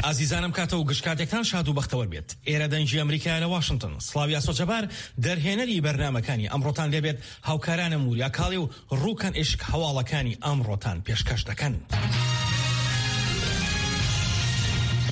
ئازیزانم کاتە و گشت کاتێکتان شاد و بەختەوەر بێت. ئێرە دەنگی ئەمریکایە لە واشنتن. سڵاوی ئاسۆ جەبار دەرهێنەری بەرنامەکانی ئەمڕۆتان لێبێت، هاوکارانم وریا کاڵێ و ڕوکەن ئیشک هەواڵەکانی ئەمڕۆتان پێشکەش دەکەن.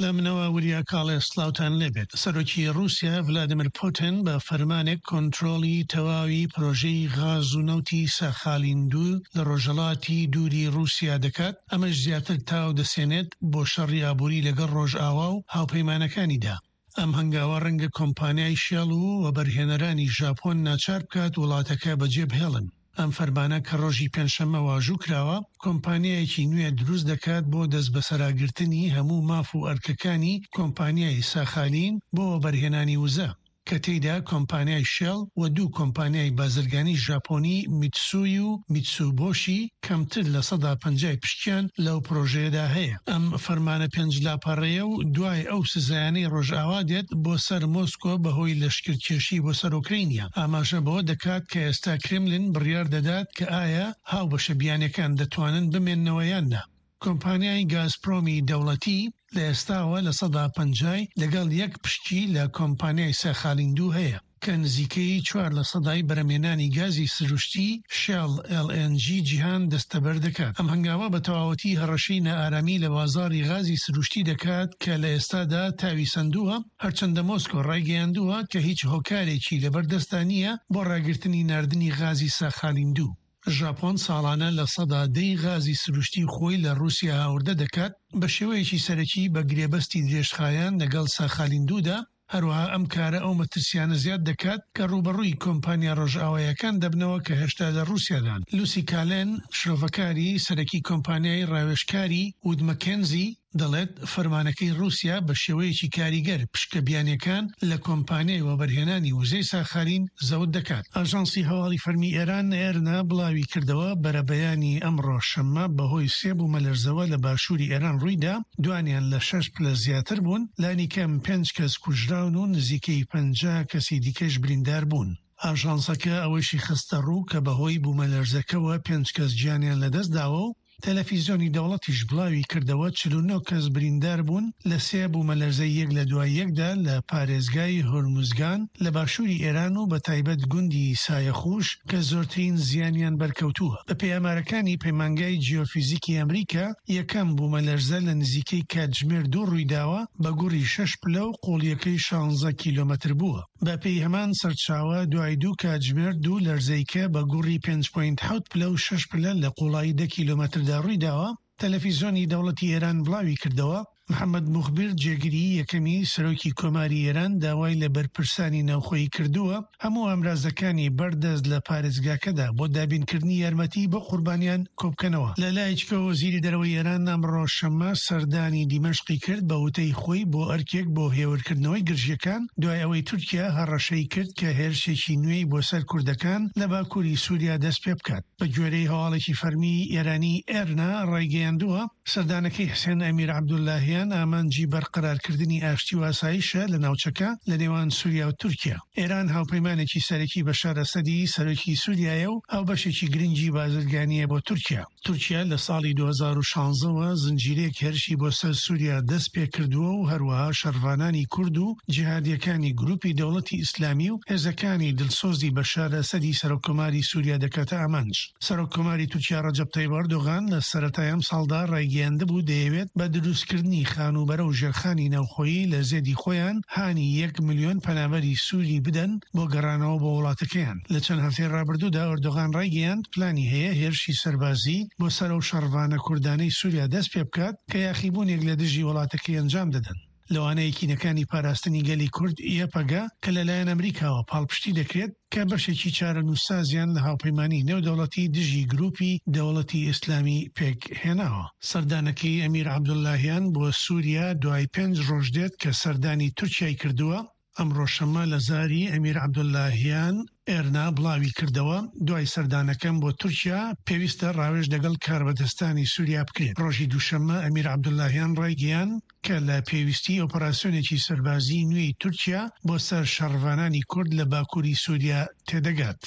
لە منەوە وریا کاڵێ سڵاوتان لێبێت. سەرۆکی ڕووسیا ڤلادیمیر پوتن بە فەرمانێک کۆنترۆڵی تەواوی پرۆژەی غاز و نەوتی ساخالین دوو لە ڕۆژهەڵاتی دووری ڕووسیا دەکات، ئەمەش زیاتر تاو دەسێنێت بۆ شەڕی ئابووری لەگەڵ ڕۆژئاوا و هاوپەیمانەکانیدا. ئەم هەنگاوە ڕەنگە کۆمپانیای شێڵ و وەبەرهێنەرانی ژاپۆن ناچار بکات وڵاتەکە بەجێبهێڵن. ئەم فەرمانە کە ڕۆژی پێنجشەممە واژوو کراوە، کۆمپانیایەکی نوێ دروست دەکات بۆ دەستبەسەراگرتنی هەموو ماف و ئەرکەکانی کۆمپانیای ساخالین بۆ وەبەرهێنانی وزە. کە تێیدا کۆمپانیای شێڵ و دوو کۆمپانیای بازرگانی ژاپۆنی میتسوی و میتسوبۆشی کەمتر لە سەدا پەنجای پشکیان لەو پرۆژەیەدا هەیە. ئەم فەرمانە پێنج لاپەڕەیە و دوای ئەو سزایانەی ڕۆژئاوا دێت بۆ سەر مۆسکۆ بەهۆی لەشکرکێشی بۆ سەر ئۆکرەینیا، ئاماژە بەوە دەکات کە ئێستا کرێملن بڕیار دەدات کە ئایا هاوبەشە بیانیەکان دەتوانن بمێننەوە یان نا. کۆمپانیای گازپرۆمی دەوڵەتی لە ئێستاوە لە سەدا پەنجای لەگەڵ یەک پشکی لە کۆمپانیای ساخالین دوو هەیە کە نزیکەی چوار لە سەدای بەرهەمهێنانی گازی سروشتی شێڵ LNG جیهان دەستەبەر دەکات. ئەم هەنگاوە بە تەواوەتی هەڕەشەی نائارامی لە بازاڕی غازی سروشتی دەکات کە لە ئێستادا تاوی سەندووە، هەرچەندە مۆسکۆ ڕایگەیاندووە کە هیچ هۆکارێکی لەبەردەستدا نییە بۆ ڕاگرتنی ناردنی غازی ساخالین دوو. ژاپۆن ساڵانە 10% ی غازی سروشتی خۆی لە ڕووسیا هاوردە دەکات، بە شێوەیەکی سەرەکی بە گرێبەستی درێژخایەن لەگەڵ ساخالین دوودا، هەروەها ئەم کارە ئەو مەترسیانە زیاد دەکات کە ڕووبەڕووی کۆمپانیا ڕۆژئاواییەکان دەبنەوە کە هێشتا لە ڕووسیادان. لوسی کالێن، شرۆڤەکاری سەرەکی کۆمپانیای ڕاوێژکاری وود مەکێنزی، دەڵێت، فەرمانەکەی ڕووسیا بە شێوەیەکی کاریگەر پشکە بیانییەکان لە کۆمپانیای وەبەرهێنانی وزەی ساخالین زەوت دەکات. ئاژانسی هەواڵی فەرمی ئێران، ئێرنا، بڵاوی کردەوە، بەرەبەیانی ئەمڕۆ شەممە بەهۆی سێ بوومەلەرزەوە لە باشووری ئێران ڕوویدا، دوانیان لە شەش پلە زیاتر بوون، لانیکەم پێنج کەس کوژراون و نزیکەی 50 کەسی دیکەش بریندار بوون. ئاژانسەکە ئەوەیشی خستەڕوو کە بەهۆی بوومەلەرزەکەوە پێنج کەس گیانیان لەدەستداوە و تەلەفیزیۆنی دەوڵەتیش بڵاوی کردەوە 49 کەس بریندار بوون لە سێ بوومەلەرزەی یەک لە دوای یەکدا لە پارێزگای هورموزگان لە باشووری ئێران و بەتایبەت گوندی سایەخوش کە زۆرترین زیانیان بەرکەوتووە. بەپێی ئامارەکانی پەیمانگای جیۆفیزیکی ئەمریکا، یەکەم بوومەلەرزە لە نزیکەی کاتژمێر دوو ڕوویداوە بە گوڕی شەش پلە و قووڵییەکەی شانزە کیلۆمەتر بووە. بەپێی هەمان سەرچاوە، دوای دوو کاتژمێر دوو لەرزەیکە بە گوڕی پێنج پۆینت حەوت پلە و شەش پلە لە قووڵایی دە کیلۆمەتردا ڕوویداوە، تەلەفیزیۆنی دەوڵەتی ئێران بڵاوی کردەوە، محەمەد موخبیر جێگری یەکەمی سەرۆکی کۆماری ئێران داوای لە بەرپرسانی ناوخۆیی کردووە هەموو ئامرازەکانی بەردەست لە پارێزگاکەدا بۆ دابینکردنی یارمەتی بۆ قوربانیان کۆبکەنەوە. لە لایەکیکەوە وەزیری دەرەوەی ئێران ئەمڕۆ شەممە سەردانی دیمەشقی کرد بە وتەی خۆی بۆ ئەرکێک بۆ هێورکردنەوەی گرژییەکان دوای ئەوەی تورکیا هەڕەشەی کرد کە هێرشێکی نوێی بۆ سەر کوردەکان لە باکووری سووریا دەستپێبکات. بە گوێرەی هەواڵێکی فەرمی ئێرانی ئێرنا ڕایگەیاندووە، سەردانەکەی حسێن ئەمیر عەبدولاهیان ئامانجی بەرقەرارکردنی ئاشتی و ئاسایشە لە ناوچەکە لە نێوان سوریا و تورکیا. ئێران هاوپەیمانێکی سەرەکی بەشار ئەسەدی سەرۆکی سوریایە و هاوبەشێکی گرنگی بازرگانییە بۆ تورکیا. تورکیا لە ساڵی 2016 وە زنجیرەیەک هێرشی بۆ سەر سوریا دەست پێکردووە و هەروەها شەڕڤانانی کورد و جیهادییەکانی گروپی دەوڵەتی ئیسلامی و هێزەکانی دلسۆزی بەشار ئەسەدی سەرۆککۆماری سوریا دەکاتە ئامانج. سەرۆک کۆماری تورکیا ڕەجەب تەیب ئەردۆغان لە سەرەتای ئەمساڵدا ڕایگەیاندبوو دەیەوێت بە دروستکردنی خانووبەرە و ژێرخانی ناوخۆیی لە زێدی خۆیان هانی یەک ملیۆن پەنابەری سووری بدەن بۆ گەڕانەوە بۆ وڵاتەکەیان. لە چەند هەفتەی ڕابردوودا ئەردۆغان ڕایگەیاند پلانی هەیە هێرشی سەربازی بۆ سەر ئەو شەڕڤانە کوردانەی سووریا دەست پێبکات کە یاخیبوونێک لە دژی وڵاتەکەی ئەنجام دەدەن. لەوانە یەکینەکانی پاراستنی گەلی کورد، یەپەگە، کە لەلایەن ئەمریکاوە پاڵپشتی دەکرێت، کە بەشێکی چارەنووسسازیان لە هاوپەیمانی نێودەوڵەتی دژی گرووپی دەوڵەتی ئیسلامی پێکهێناوە. سەردانەکەی ئەمیر عەبدوڵلاهیان بۆ سووریا دوای پێنج ڕۆژ دێت کە سەردانی تورکیای کردووە، ئەمڕۆ شەممە لە زاری ئەمیر عەبدوڵلاهیان ئێرنا بڵاوی کردەوە، دوای سەردانەکەم بۆ تورکیا، پێویستە ڕاوێژ لەگەڵ کاربەدەستانی سووریا بکرێت. ڕۆژی دووشەممە ئەمیر عەبدوڵلاهیان ڕایگەیاند کە لە پێویستیی ئۆپەراسیۆنێکی سەربازیی نوێی تورکیا بۆ سەر شەڕڤانانی کورد لە باکووری سووریا تێدەگات.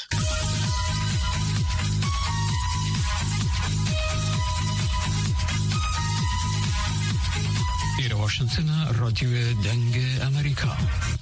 لێرەوە. واشنتن رادیو دەنگ ئەمریکا.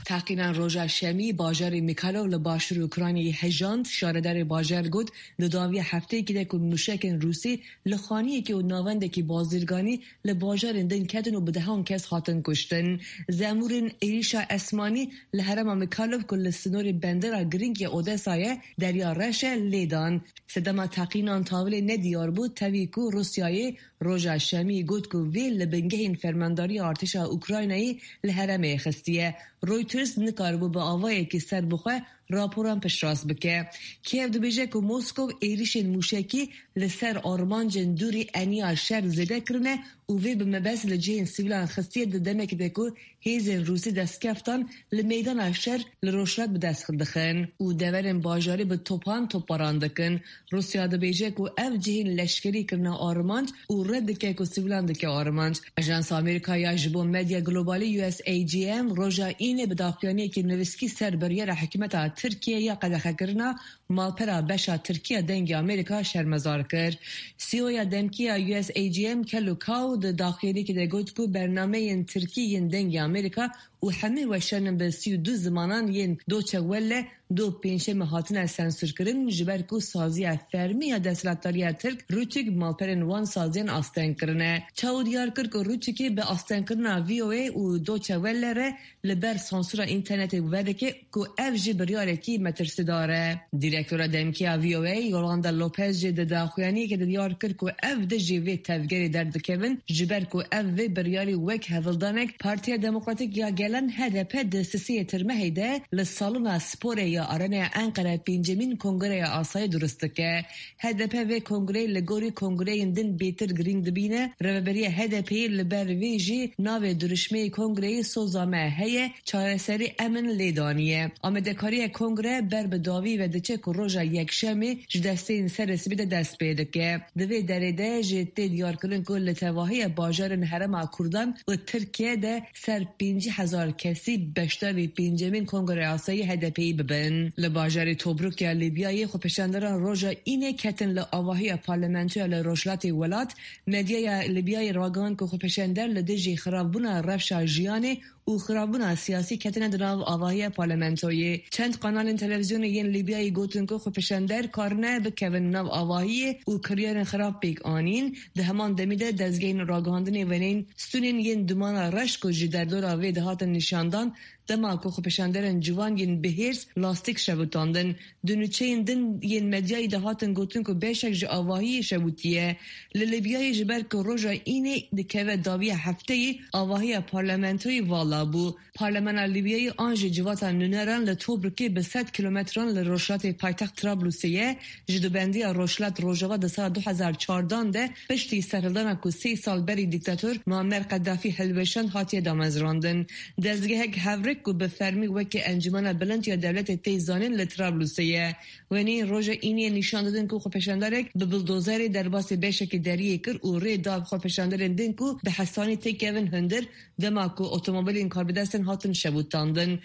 Teqîna roja Şemî bajarê Mykolaiv li başûrê Ukraynayê hejand, şaredarê bajar got, di dawiya hefteyekê de ku mûşekên Rûsî li xaniyekê û navendekî bazirganî li bajarên din ketin û bi dehan kes hatin kuştin. Zemûrên êrîşa esmanî li herêma Mykolaiv ku li sinorê bendera girîng ya Odessa ye, Derya Reş e, lê dan. Sedema teqînan tavilê ne diyar bû, tevî ku Rûsyayê roja Şemiyê got ku vê li bingehên fermandariya artêşa Ukraynayê li herêmê xistiye. Reuters nikaribû bi avayekî serbixwe raporan piştrast bike. Kiev dibêje ku Moskow êrîşên mûşekî li ser armancên dûrî eniya şer zêde kirine û vê bi mebest li cihên sivîlan xistiye di demekê de ku hêzên Rûsî destkeftan li meydana şer li Rojhilat bi dest dixin û deverên bajarî bi topan topbaran dikin. Rûsya dibêje ku ev cihên leşkerî kirine armanc û red dike ku sivîlan dike armanc. Ajansa Amerîka ya ji bo Medya Globalî, USAGM, roja Înê bi daxuyaniyekî nivîskî ser biryara hikûmeta Tirkiyeyê ya qedexekirina malpera beşa Tirkî ya Dengê Amerîka şermezar kir. CEOya demkî ya USAGM Kelly Kao di daxuyaniyekê de got ku bernameyên Tirkî yên Dengê Amerîka û hemî weşanên bi 32 zimanan yên Deutsche Welle do pêncşemê hatine sensûrkirin ji ber ku saziya fermî ya desthilatdariya Tirk RTÜK malperên wan saziyan asteng kirine. Chao diyar kir ku RTÜKê bi astengkirina VOA û Deutsche Welle re li ber sansûra înternetê vedike ku ev jî biryarekî metirsîdar e. Dîrektora demkî ya VOA Yolanda Lopez jî di daxuyaniyekê de diyar kir ku ev dijî vê tevgerê derdikevin ji ber ku ev vê biryarê wek hevldanek Partiya Demokratîk ya Gelan, HDP, di sisêyê Tirmehê de li Salona Sporê ya Arenaya Enqere pêncemîn kongreya asayî durist dike. HDP vê kongreyê li gorî kongreyên din bêtir girîng dibîne. Rêveberiya HDP'ê li ber vê jî navê durişmeyê kongreyê Soza me heye, çareserî em in lê daniye. Amadekariya kongre ber bi dawî ve diçe ku roja yekşemê ji desteyên serê sibê de dest pê dike. Di vê derê de jî tê diyarkirin ku li tevahiya bajarên herêma Kurdan û Tirkiye de ser 50,000 kesî beşdarî pêncemîn Kongreya Asayî HDP'yî bibin. Li bajarê Tobruk ya Lîbyayê xwepêşanderan roja Înê ketin li avahiya parlamentoya li rojhilatê welat. Medyaya Lîbyayê ragihand ku xwepêşander li dijî xirabûna rewşa jiyanê û xirabûna siyasî ketine di nav avahiya parlamentoyê. Çend kanalên televîzyonê yên Lîbyayê gotin ku xwepêşander karine bikevin nav avahiyê û kiryarên xirab pêk anîn. Di heman demî de dezgehên ragihandinê wêneyên stûnên yên dumana reş ku ji derdora vê dihatin nîşandan, dema ku xwepêşanderên ciwan yên bihêrs lastîk şewitandin. Di nûçeyên din yên medyayê de hatin gotin ku beşek ji avahiyê şewitiye. Li Lîbyayê ji ber ku roja Înê dikeve dawiya hefteyê avahiya parlamentoyê vala bû. Parlamena Lîbyayê an jî civata nûneran li Tobrukê bi sed kîlometran li rojhilatê paytext Trablusê ye, ji dubendiya Rojhilat Rojava di sala 2014 de piştî serhildana ku sê sal berî dîktator Muammer Qeddafî hilweşand hatiye damezrandin. Dezgehek hevrik ku bi fermî weke Encûmena Bilind ya Dewletê tê zanîn li Trablusê ye. Wêneyên roja Îniyê nîşan didin ku xwepêşanderek bi buldozerê derbasî beşekî deriyê kir û rê da xwepêşanderên din ku bi hesanî têkevin hundir dema ku otomobîlên karbidestên hatin şewitandin.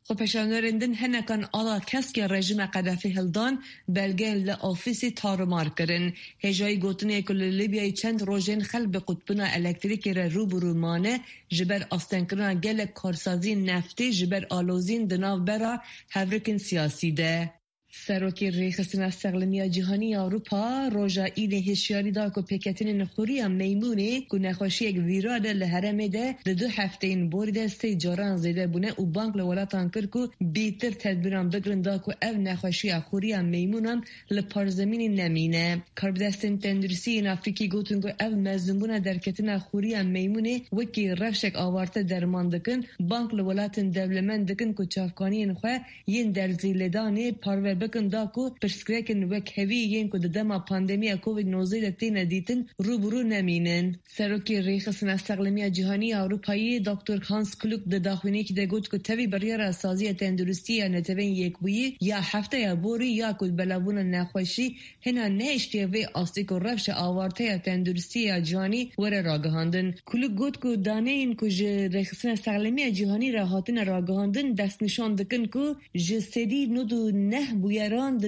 Xwepêşanderên din hinekan ala keskê rejîma Qedafî hildan, belgeyên li ofîsê tarûmar kirin. Hêjayî gotinê ku li Lîbyayê çend rojên xelk bi qutbûna elektrîkê re rû bi rû mane ji ber astengkirina gelek karsaziyên neftê ji ber aloziyên di navbera hevrikên siyasî de. Serokê Rêxistina Sexlemiya Cîhanî ya Ewropa roja Înê hişyarî da ku pêketinên xuriya meymûnê ku nexweşiyek vîral e li herêmê de di du hefteyên borî de sê caran zêde bûne û bang li welatan kir ku bêtir tedbîran bigirin da ku ev nexweşiya xuriya meymûnan li parzemînê nemîne. Karbidestên tenduristî yên Afrîkî gotin ku ev mezinbûna derketina xuriya meymûnê wekî rewşek awarte derman dikin, bang li welatên dewlemend dikin ku çavkaniyên xwe yên derzîlêdanê parve bikin da ku pirsgirêkên wekhevî yên ku di dema pandemiya Covid 19 de têne dîtin rû bi rû nemînin. Serokê Rêxistina Sexlemiya Cîhanî ya Ewropayê Doktor Hans Klug di daxuyaniyekî de got ku tevî biryara Saziya Tenduristiyê ya Neteweyên Yekbûyî ya hefteya borî ya ku belavbûna nexweşî Hîna nehiştiye vê astê ku rewşa awarte ya tenduristiyê ya cîhanî were ragihandin. Klug got ku daneyên ku ji Rêxistina Sexlemiya Cîhanî re hatine ragihandin destnîşan dikin ku 99% bûyeran di.